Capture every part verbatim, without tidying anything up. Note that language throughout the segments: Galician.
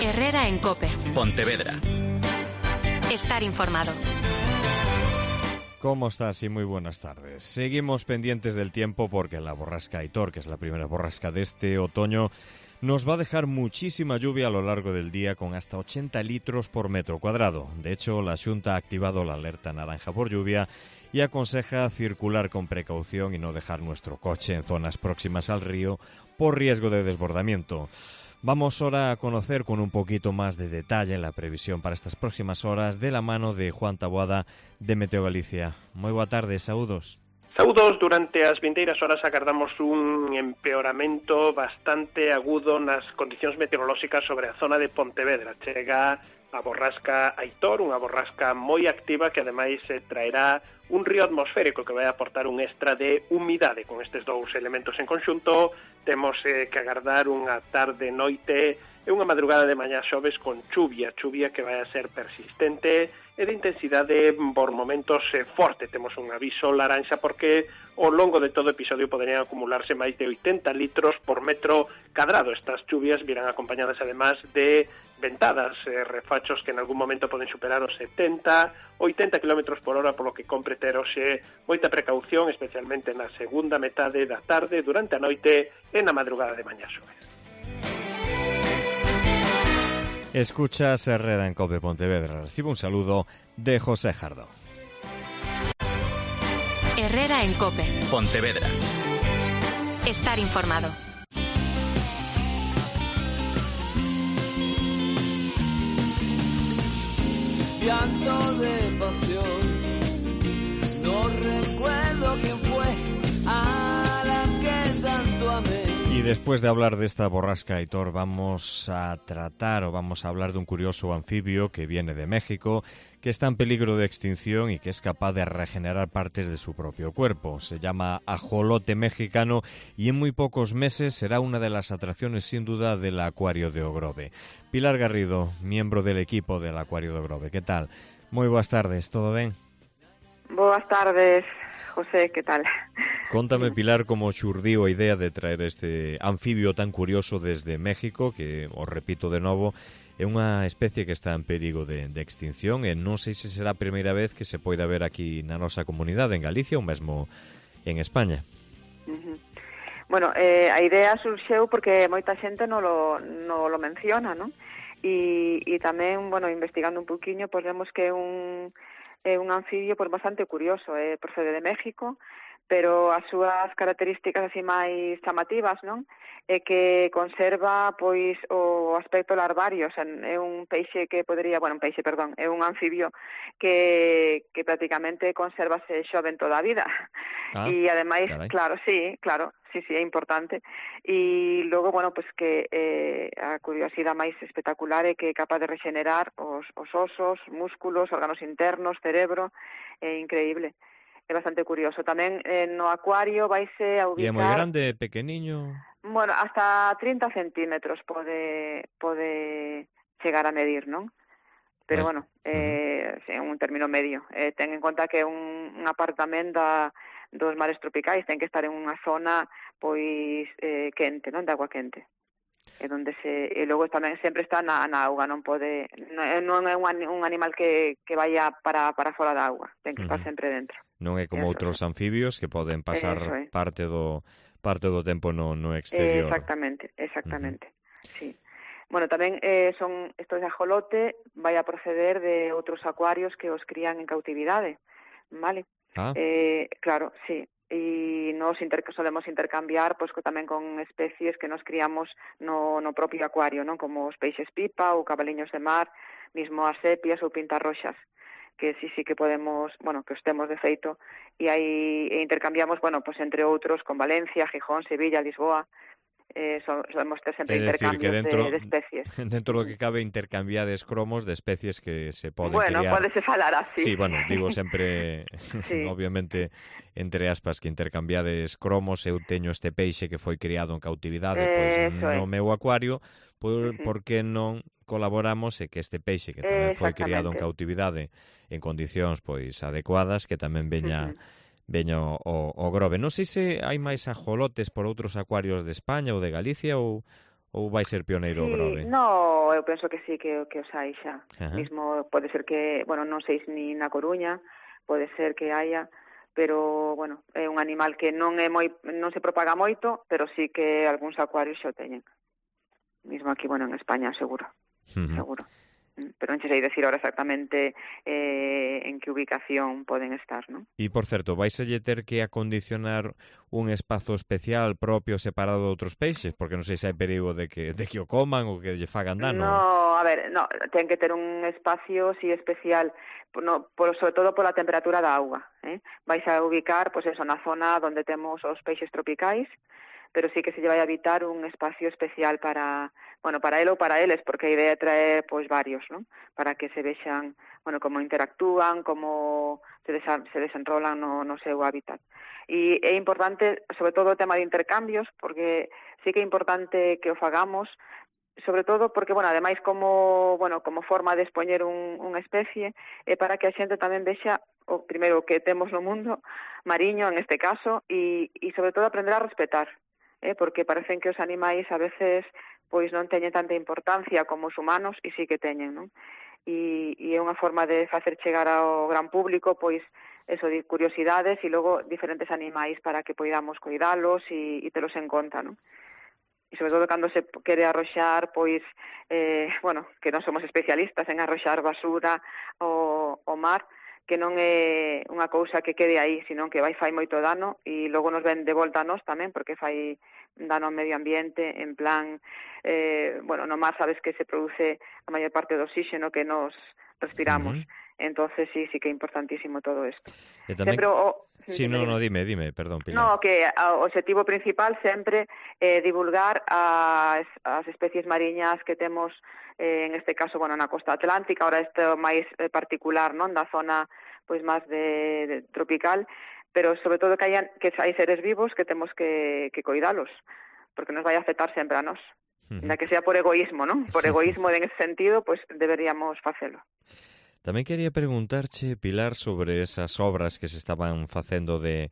Herrera en COPE. Pontevedra. Estar informado. ¿Cómo estás? Y muy buenas tardes. Seguimos pendientes del tiempo porque la borrasca Aitor, que es la primera borrasca de este otoño, nos va a dejar muchísima lluvia a lo largo del día con hasta ochenta litros por metro cuadrado. De hecho, la Xunta ha activado la alerta naranja por lluvia y aconseja circular con precaución y no dejar nuestro coche en zonas próximas al río por riesgo de desbordamiento. Vamos ahora a conocer con un poquito más de detalle la previsión para estas próximas horas de la mano de Juan Taboada de Meteo Galicia. Moi boa tarde, saúdos. Saúdos, durante as vindeiras horas agardamos un empeoramento bastante agudo nas condicións meteorolóxicas sobre a zona de Pontevedra. Chega a borrasca Aitor, unha borrasca moi activa que ademais eh, traerá un río atmosférico que vai aportar un extra de humidade. Con estes dous elementos en conxunto temos eh, que agardar unha tarde, noite e unha madrugada de mañá xoves con chuvia, chuvia que vai a ser persistente e de intensidade por momentos eh, forte. Temos un aviso laranxa porque ao longo de todo o episodio poderían acumularse máis de oitenta litros por metro cadrado. Estas chuvias virán acompañadas además de ventadas, eh, refachos que en algún momento poden superar os setenta, oitenta kilómetros por hora, polo que compre ter hoxe moita precaución, especialmente na segunda metade da tarde, durante a noite e na madrugada de mañá xoves. Escuchas Herrera en COPE Pontevedra. Recibe un saludo de José Jardó. Herrera en COPE. Pontevedra. Estar informado. Llanto de pasión, no recuerdo quién fue a la que tanto amé. Y después de hablar de esta borrasca Aitor, vamos a tratar o vamos a hablar de un curioso anfibio que viene de México, que está en peligro de extinción y que es capaz de regenerar partes de su propio cuerpo. Se llama ajolote mexicano y en muy pocos meses será una de las atracciones sin duda del acuario de Ogrove. Pilar Garrido, miembro del equipo del acuario de Ogrove, ¿qué tal? Muy buenas tardes, ¿todo bien? Boas tardes, José, que tal? Contame, Pilar, como xurdiu a idea de traer este anfibio tan curioso desde México, que, os repito de novo, é unha especie que está en perigo de, de extinción e non sei se será a primeira vez que se poida ver aquí na nosa comunidade, en Galicia ou mesmo en España. Uh-huh. Bueno, eh, a idea surxeu porque moita xente non lo, non lo menciona, non? E, e tamén, bueno, investigando un poquinho, pois vemos que é un... é un anfibio pois, bastante curioso, eh, procede de México, pero as súas características así máis chamativas, non? É que conserva pois o aspecto larvario, o sea, é un peixe que podería, bueno, un peixe, perdón, é un anfibio que que prácticamente conservase xoven toda a vida. Ah, e ademais, carai. claro, sí, claro, sí, sí, é importante. E logo, bueno, pues que eh, a curiosidade máis espectacular é que é capaz de regenerar os, os osos, músculos, órganos internos, cerebro, é increíble. É bastante curioso. Tamén eh, no acuario vaise a ubicar... E é moi grande, pequeniño? Bueno, hasta trinta centímetros pode pode chegar a medir, non? Pero, pues, bueno, é uh-huh. un término medio. Eh, ten en conta que é un, un apartamento da, dos mares tropicais, ten que estar en unha zona pois eh, quente, non? De agua quente. É onde se e logo tamén sempre está na, na auga, non pode non é un, un animal que, que vaya para, para fora da auga, ten que estar uh-huh. sempre dentro. Non é como eso, outros anfibios que poden pasar é. parte do parte do tempo no, no exterior. Exactamente, exactamente, uh-huh. sí. Bueno, tamén eh, son estos de ajolote vai a proceder de outros acuarios que os crían en cautividade, vale? Ah. Eh, claro, sí. E nos inter solemos intercambiar pois tamén con especies que nos criamos no, no propio acuario, non? Como os peixes pipa ou cabaliños de mar, mismo as sepias ou pintarroxas, que sí, sí que podemos, bueno, que os temos de feito, e aí e intercambiamos, bueno, pues entre outros con Valencia, Gijón, Sevilla, Lisboa, eh, solemos ter sempre intercambios dentro, de, de especies. Dentro do que cabe intercambiades cromos de especies que se poden bueno, criar. Bueno, podese falar así. Sí, bueno, digo sempre, sí. obviamente, entre aspas, que intercambiades cromos, eu teño este peixe que foi criado en cautividade, eh, pois no é. meu acuario, por, uh-huh. por que non colaboramos e que este peixe que tamén foi criado en cautividade en condicións pois adecuadas, que tamén veña... Uh-huh. veño o, o Grove. Non sei se hai máis ajolotes por outros acuarios de España ou de Galicia ou, Ou vai ser pioneiro o Sí, Grove? no, eu penso que sí, que, que os hai xa. Ajá. Mismo pode ser que, bueno, non sei se ni na Coruña, pode ser que haya, pero, bueno, é un animal que non é moi, non se propaga moito, pero sí que algúns acuarios xa o teñen. Mismo aquí, bueno, en España, seguro, Uh-huh. seguro. Pero non che sei decir ahora exactamente eh, en que ubicación poden estar, non? E, por certo, vais a lle ter que acondicionar un espazo especial propio separado de outros peixes? Porque non sei se hai perigo de que, de que o coman ou que lle fagan dano. No, a ver, no, ten que ter un espacio sí especial, no, por, sobre todo pola temperatura da auga, eh? Vais a ubicar, pois pues eso, na zona onde temos os peixes tropicais, pero sí que se lle vai a habitar un espacio especial para, bueno, para ele ou para eles, porque a idea é traer, pois, varios, non? Para que se vexan, bueno, como interactúan, como se, desa, se desenrolan no, no seu hábitat. E é importante, sobre todo, o tema de intercambios, porque sí que é importante que o fagamos, sobre todo porque, bueno, ademais como, bueno, como forma de expoñer un, unha especie, é para que a xente tamén vexa o primeiro que temos no mundo, mariño en este caso, e, e sobre todo aprender a respetar, eh, porque parecen que os animais a veces pois non teñen tanta importancia como os humanos e sí que teñen, non? E, e é unha forma de facer chegar ao gran público pois eso de curiosidades e logo diferentes animais para que poidamos cuidalos e, e telos en conta, non? E sobre todo cando se quere arroxar, pois, eh, bueno, que non somos especialistas en arroxar basura ao, ao mar, que non é unha cousa que quede aí, sino que vai fai moito dano e logo nos ven de volta a nós tamén, porque fai dano ao medio ambiente, en plan, eh, bueno, no mar sabes que se produce a maior parte do oxígeno que nos respiramos. Uh-huh. Entonces sí, sí que é importantísimo todo isto. E tamén... Sempre o... Sí, no, no, dime, dime, perdón, Pilar. No, que o objetivo principal sempre é eh, divulgar as, as especies mariñas que temos, eh, en este caso, bueno, na costa atlántica, ahora isto máis eh, particular, non, da zona pois máis de, de tropical, pero sobre todo que hai, que hai seres vivos que temos que, que coidalos, porque nos vai a afectar sempre a nós. Uh-huh. Na que sea por egoísmo, non? Por egoísmo en ese sentido, pois deberíamos facelo. Tamén quería preguntarche, Pilar, sobre esas obras que se estaban facendo de,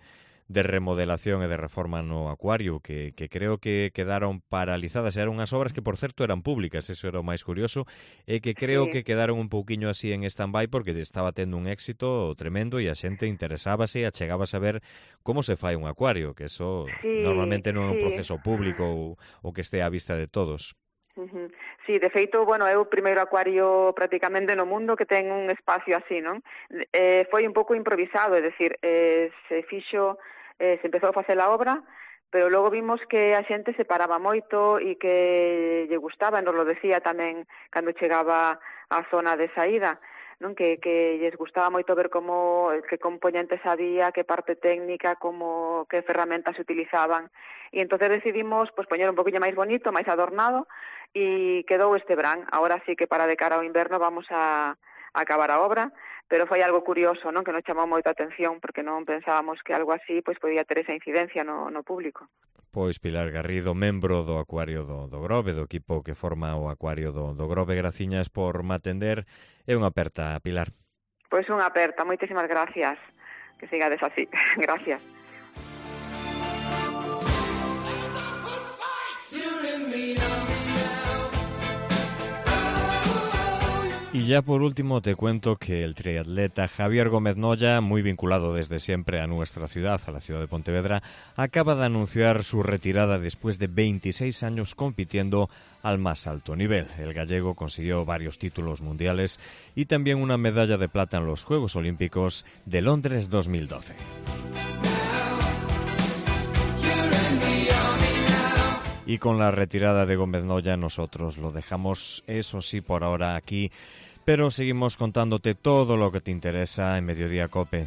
de remodelación e de reforma no acuario, que, que creo que quedaron paralizadas. Eran unhas obras que, por certo, eran públicas, eso era o máis curioso, e que creo sí. que quedaron un pouquiño así en stand-by porque estaba tendo un éxito tremendo e a xente interesábase e achegábase a ver como se fai un acuario, que eso sí, normalmente non é un sí. proceso público ou, ou que este á vista de todos. Uh-huh. Sí, de feito, bueno, é o primeiro acuario prácticamente no mundo que ten un espacio así, non? Eh, foi un pouco improvisado, é dicir, eh, se fixo, eh, se empezou a facer a obra, pero logo vimos que a xente se paraba moito e que lle gustaba, nos lo decía tamén cando chegaba á zona de saída, non, que, que lles gustaba moito ver como que componentes había, que parte técnica, como que ferramentas se utilizaban. E entonces decidimos pues poñer un poquinho máis bonito, máis adornado, e quedou este verán. Ahora sí que para de cara ao inverno vamos a, a acabar a obra, pero foi algo curioso, non, que nos chamou moita atención, porque non pensábamos que algo así pues podía ter esa incidencia no, no público. Pois Pilar Garrido, membro do Acuario do, do Grove, do equipo que forma o Acuario do, do Grove, graciñas por me atender. É unha aperta, Pilar. Pois unha aperta, moitísimas gracias. Que sigades así. Gracias. Y ya por último te cuento que el triatleta Javier Gómez Noya, muy vinculado desde siempre a nuestra ciudad, a la ciudad de Pontevedra, acaba de anunciar su retirada después de veintiséis años compitiendo al más alto nivel. El gallego consiguió varios títulos mundiales y también una medalla de plata en los Juegos Olímpicos de Londres dos mil doce. Y con la retirada de Gómez Noya nosotros lo dejamos, eso sí, por ahora aquí, pero seguimos contándote todo lo que te interesa en Mediodía COPE.